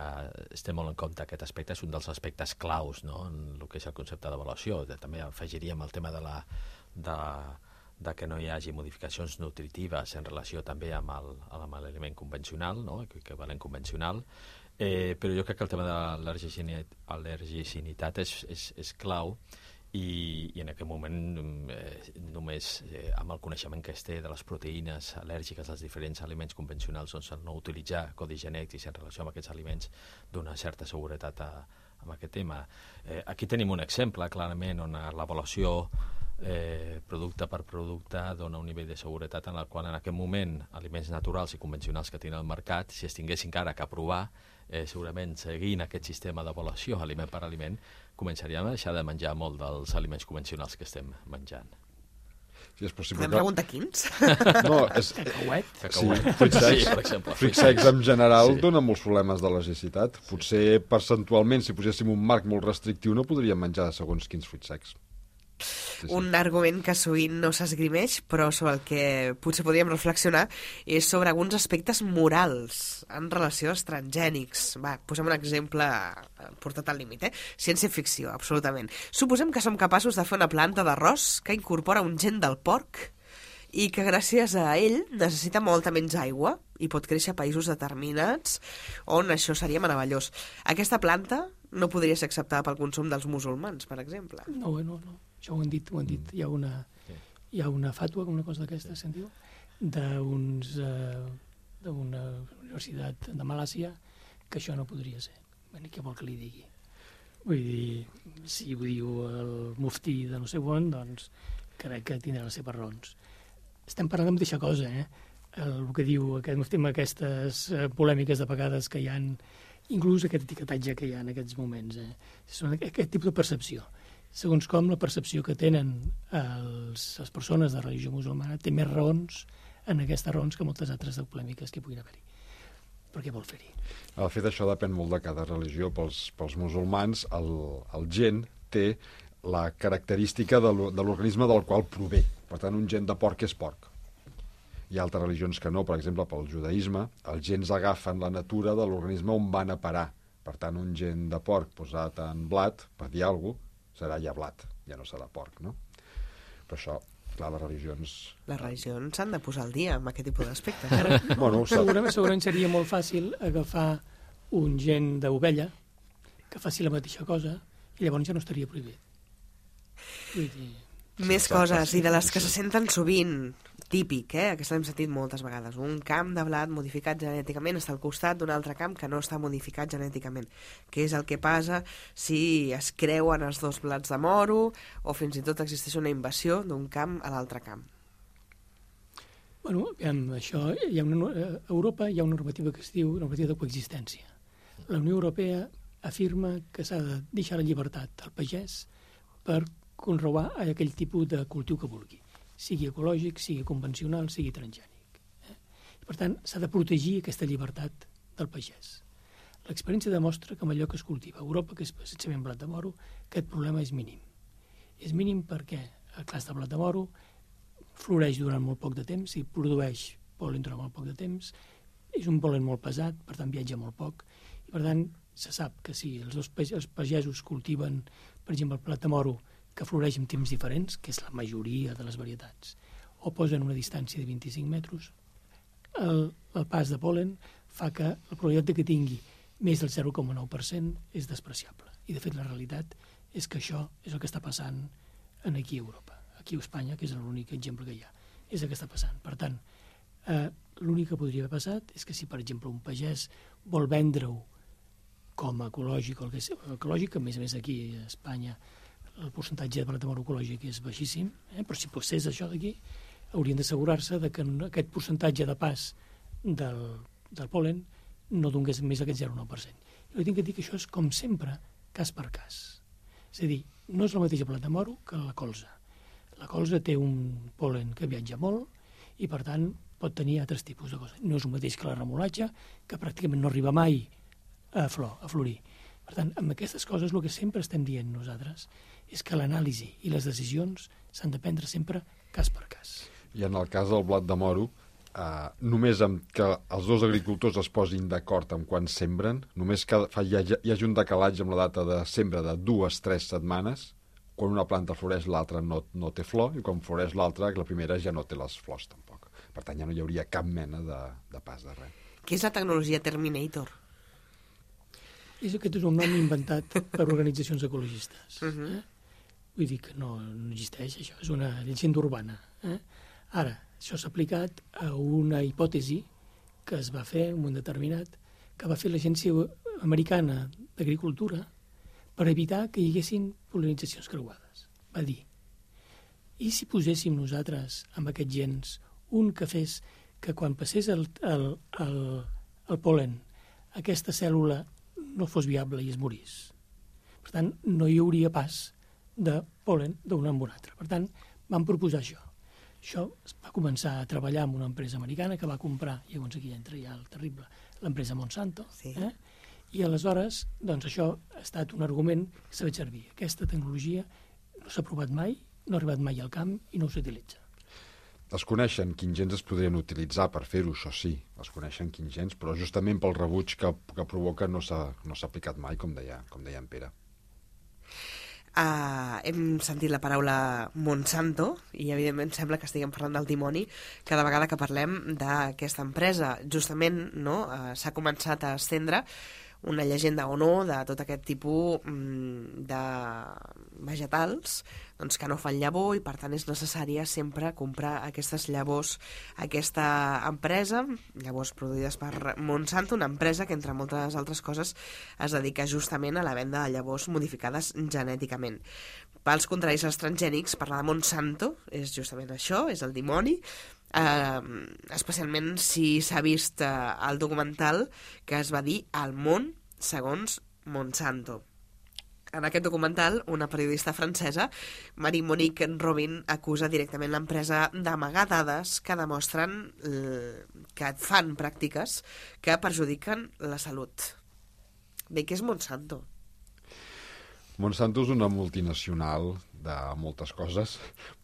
estem molt en compte aquest aspecte, és un dels aspectes claus, no?, en el que és el concepte d'avaluació. També afegiríem el tema de la, de, de que no hi hagi modificacions nutritives en relació també amb el, amb l'aliment convencional, no?, equivalent convencional, eh, però jo crec que el tema de l'al·lergicitat és, és, és clau. I, i en aquest moment eh, només eh, amb el coneixement que es té de les proteïnes al·lèrgiques als diferents aliments convencionals, doncs el no utilitzar codis genètics en relació amb aquests aliments dona certa seguretat a, a aquest tema. Eh, aquí tenim un exemple, clarament, on l'avaluació eh, producte per producte dona un nivell de seguretat en el qual en aquest moment aliments naturals i convencionals que tenen al mercat, si es tinguessin encara que aprovar, eh, segurament seguint aquest sistema d'avaluació aliment per aliment, començaríem a deixar de menjar molt dels aliments convencionals que estem menjant. Sí, és possible. Podem preguntar quins? No, és... Cacauet? Cacauet. Sí, fruits secs, sí, per exemple. Fruits secs en general Sí. donen molts problemes d'al·lergicitat. Potser percentualment, si poséssim un marc molt restrictiu, no podríem menjar segons quins fruits secs. Sí, sí. Un argument que sovint no s'esgrimeix, però sobre el que potser podríem reflexionar, és sobre alguns aspectes morals en relació als transgènics. Va, posem un exemple portat al límit, eh? Ciència-ficció, absolutament. Suposem que som capaços de fer una planta d'arròs que incorpora un gen del porc i que gràcies a ell necessita molta menys aigua i pot créixer a països determinats on això seria meravellós. Aquesta planta no podria ser acceptada pel consum dels musulmans, per exemple. No, no, no. Això ho han dit, ho han dit. Hi ha una, hi ha una fàtua, una cosa d'aquesta, sentiu? D'uns, eh, d'una universitat de Malàsia, que això no podria ser. Bé, què vol que li digui? Vull dir, si ho diu el muftí de no sé on, doncs crec que tindrà les seves raons. Estem parlant de mateixa cosa, eh? El que diu aquest muftí, amb aquestes polèmiques de vegades que hi ha, inclús aquest etiquetatge que hi ha en aquests moments, eh? Són aquest tipus de percepció. Segons com la percepció que tenen els, les persones de religió musulmana té més raons en aquestes raons que moltes altres polèmiques que puguin haver-hi. Per què vol fer-hi? El fet això depèn molt de cada religió. Pels, pels musulmans el, el gen té la característica de l'organisme del qual prové. Per tant, un gen de porc és porc. Hi ha altres religions que no, per exemple, pel judaïsme, els gens agafen la natura de l'organisme on van a parar. Per tant, un gen de porc posat en blat, per dir alguna cosa, serà ja blat, ja no serà porc, no? Però això, clar, les religions... Les religions s'han de posar al dia amb aquest tipus d'aspectes. Bueno, segurament, segurament seria molt fàcil agafar un gen d'ovella que faci la mateixa cosa i llavors ja no estaria prohibit. Vull dir... Més coses, i de les que se senten sovint, típic, eh? Aquesta l'hem sentit moltes vegades. Un camp de blat modificat genèticament està al costat d'un altre camp que no està modificat genèticament. Què és el que passa si es creuen els dos blats de moro o fins i tot existeix una invasió d'un camp a l'altre camp? Bueno, amb això, hi ha una, a Europa hi ha una normativa que es diu normativa de coexistència. La Unió Europea afirma que s'ha de deixar la llibertat al pagès per conrear aquell tipus de cultiu que vulgui. sigui ecològic, sigui convencional, sigui transgènic. Eh? I, per tant, s'ha de protegir aquesta llibertat del pagès. L'experiència demostra que amb allò que es cultiva a Europa, que és precisament blat de moro, aquest problema és mínim. És mínim perquè el clars de blat de moro floreix durant molt poc de temps i produeix pol·len durant molt poc de temps, és un pol·len molt pesat, per tant viatja molt poc, i per tant se sap que si els dos els pagesos cultiven, per exemple, el blat de moro que floreix en temps diferents, que és la majoria de les varietats, o posen una distància de vint-i-cinc metres, el, el pas de pol·len fa que la probabilitat de que tingui més del zero coma nou per cent és despreciable. I, de fet, la realitat és que això és el que està passant aquí a Europa, aquí a Espanya, que és l'únic exemple que hi ha. És el que està passant. Per tant, eh, l'únic que podria haver passat és que si, per exemple, un pagès vol vendre-ho com a ecològic, o el que és ecològic, que a més a més aquí a Espanya el percentatge de blat de moro ecològic és baixíssim, eh? Però si passés això d'aquí, haurien d'assegurar-se que aquest percentatge de pas del, del pol·len no donés més d'aquest zero coma nou per cent. Jo tinc que dir que això és, com sempre, cas per cas. És a dir, no és el mateix el blat de moro que la colza. La colza té un pol·len que viatja molt i, per tant, pot tenir altres tipus de coses. No és el mateix que la remolatxa, que pràcticament no arriba mai a flor, a florir. Per tant, amb aquestes coses el que sempre estem dient nosaltres és que l'anàlisi i les decisions s'han de prendre sempre cas per cas. I en el cas del blat de moro, Uh, només amb que els dos agricultors es posin d'acord amb quan sembren, només que hi hagi, hi hagi un decalatge amb la data de sembra de dues, tres setmanes, quan una planta floreix l'altra no, no té flor, i quan floreix l'altra, la primera ja no té les flors tampoc. Per tant, ja no hi hauria cap mena de, de pas de res. Què és la tecnologia Terminator? És aquest és un nom inventat per organitzacions ecologistes. Uh-huh. eh? Vull dir que no, no existeix, això és una llegenda urbana. Eh? Ara, això s'ha aplicat a una hipòtesi que es va fer en un moment determinat, que va fer l'Agència Americana d'Agricultura per evitar que hi haguessin pol·linitzacions creuades. Va dir, i si poséssim nosaltres amb aquests gens un que fes que quan passés el, el, el, el pol·len aquesta cèl·lula no fos viable i es morís. Per tant, no hi hauria pas de pol·len d'un amb un altre. Per tant, vam proposar això. Això es va començar a treballar amb una empresa americana que va comprar, i llavors aquí entra ja el terrible, l'empresa Monsanto, sí. eh? I aleshores, doncs això ha estat un argument que s'ha fet servir. Aquesta tecnologia no s'ha provat mai, no ha arribat mai al camp i no s'utilitza. Es coneixen quins gens es podrien utilitzar per fer-ho, això sí, es coneixen quins gens, però justament pel rebuig que, que provoca no s'ha no s'ha aplicat mai, com deia, com deia en Pere. Uh, hem sentit la paraula Monsanto i evidentment sembla que estiguem parlant del dimoni cada vegada que parlem d'aquesta empresa. Justament no, uh, s'ha començat a estendre una llegenda o no de tot aquest tipus mm, de vegetals doncs, que no fan llavor i per tant és necessària sempre comprar aquestes llavors aquesta empresa, llavors produïdes per Monsanto, una empresa que entre moltes altres coses es dedica justament a la venda de llavors modificades genèticament. Pels contraris als transgènics, parlar de Monsanto és justament això, és el dimoni. Uh, especialment si s'ha vist uh, el documental que es va dir El món segons Monsanto. En aquest documental, una periodista francesa, Marie-Monique Robin, acusa directament l'empresa d'amagar dades que demostren uh, que fan pràctiques que perjudiquen la salut. Bé, què és Monsanto? Monsanto és una multinacional de moltes coses,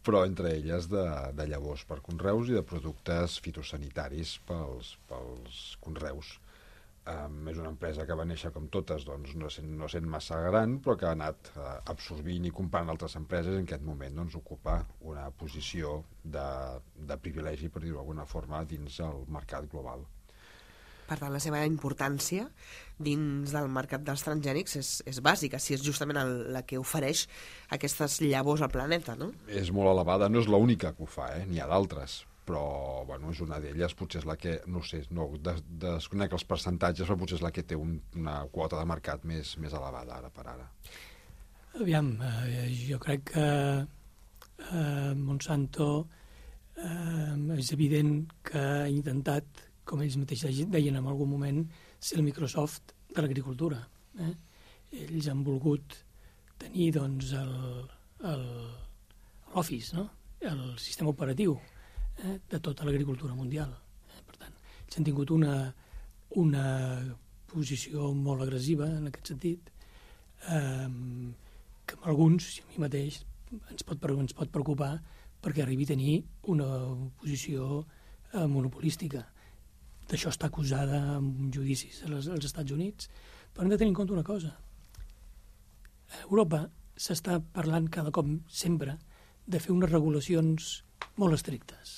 però entre elles de, de llavors per conreus i de productes fitosanitaris pels, pels conreus. Um, és una empresa que va néixer com totes, doncs, no sent, no sent massa gran, però que ha anat uh, absorbint i comprant altres empreses i en aquest moment doncs, ocupa una posició de, de privilegi, per dir-ho d'alguna forma, dins el mercat global. Per tant, la seva importància dins del mercat dels transgènics és, és bàsica, si és justament el, la que ofereix aquestes llavors al planeta, no? És molt elevada, no és l'única que ho fa, eh? N'hi ha d'altres, però bueno, és una d'elles, potser és la que, no sé, no des, desconec els percentatges, però potser és la que té un, una quota de mercat més, més elevada ara per ara. Aviam, eh, jo crec que eh, Monsanto eh, és evident que ha intentat, com ells mateixos deien en algun moment, ser el Microsoft de l'agricultura. Eh? Ells han volgut tenir doncs, l'Office, no? el sistema operatiu eh, de tota l'agricultura mundial. Eh? Per tant, ells han tingut una, una posició molt agressiva en aquest sentit, eh, que amb alguns, i a mi mateix, ens pot, ens pot preocupar perquè arribi a tenir una posició eh, monopolística. D'això està acusada en judicis als, als Estats Units, però hem de tenir en compte una cosa. A Europa s'està parlant cada cop sempre de fer unes regulacions molt estrictes.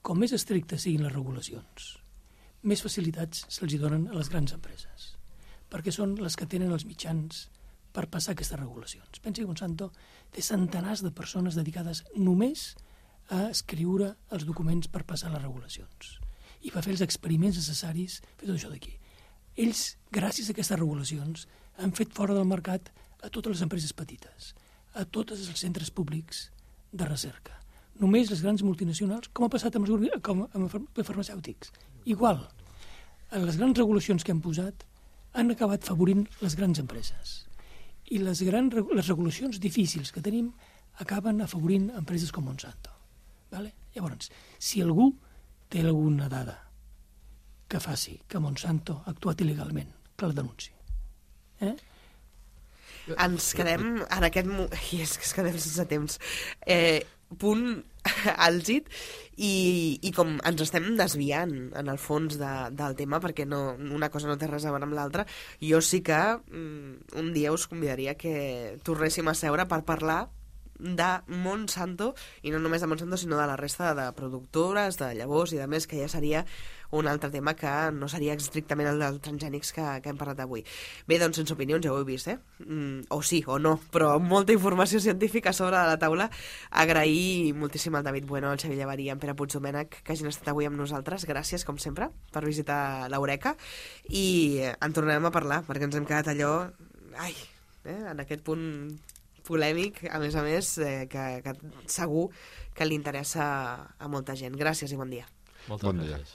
Com més estrictes siguin les regulacions, més facilitats se'ls donen a les grans empreses, perquè són les que tenen els mitjans per passar aquestes regulacions. Pensi que Monsanto té centenars de persones dedicades només a escriure els documents per passar les regulacions i per fer els experiments necessaris, fer tot això d'aquí. Ells, gràcies a aquestes regulacions, han fet fora del mercat a totes les empreses petites, a tots els centres públics de recerca. Només les grans multinacionals, com ha passat amb els, com amb els farmacèutics. Igual, les grans regulacions que han posat han acabat favorint les grans empreses. I les, grans, les regulacions difícils que tenim acaben afavorint empreses com Monsanto. Vale? Llavors, si algú té alguna dada que faci que Monsanto ha actuat il·legalment, que la denunci. Eh? Ens quedem en aquest... I és que ens quedem sense temps. Eh, punt àlgid i, i com ens estem desviant en el fons de, del tema perquè no, una cosa no té res a veure amb l'altra, jo sí que mm, un dia us convidaria que tornéssim a seure per parlar de Monsanto, i no només de Monsanto sinó de la resta de productores, de llavors i de més, que ja seria un altre tema que no seria estrictament el dels transgènics que, que hem parlat avui. Bé, doncs sense opinions, ja ho he vist, eh? Mm, o sí o no, però molta informació científica sobre la taula. Agrair moltíssim al David Bueno, al Xavier Llavari i en Pere Puigdomènech que hagin estat avui amb nosaltres. Gràcies, com sempre, per visitar l'Eureka, i en tornarem a parlar, perquè ens hem quedat allò... Ai, eh? En aquest punt polèmic, a més a més, eh, que, que segur que li interessa a molta gent. Gràcies i bon dia. Moltes bon gràcies. Dia.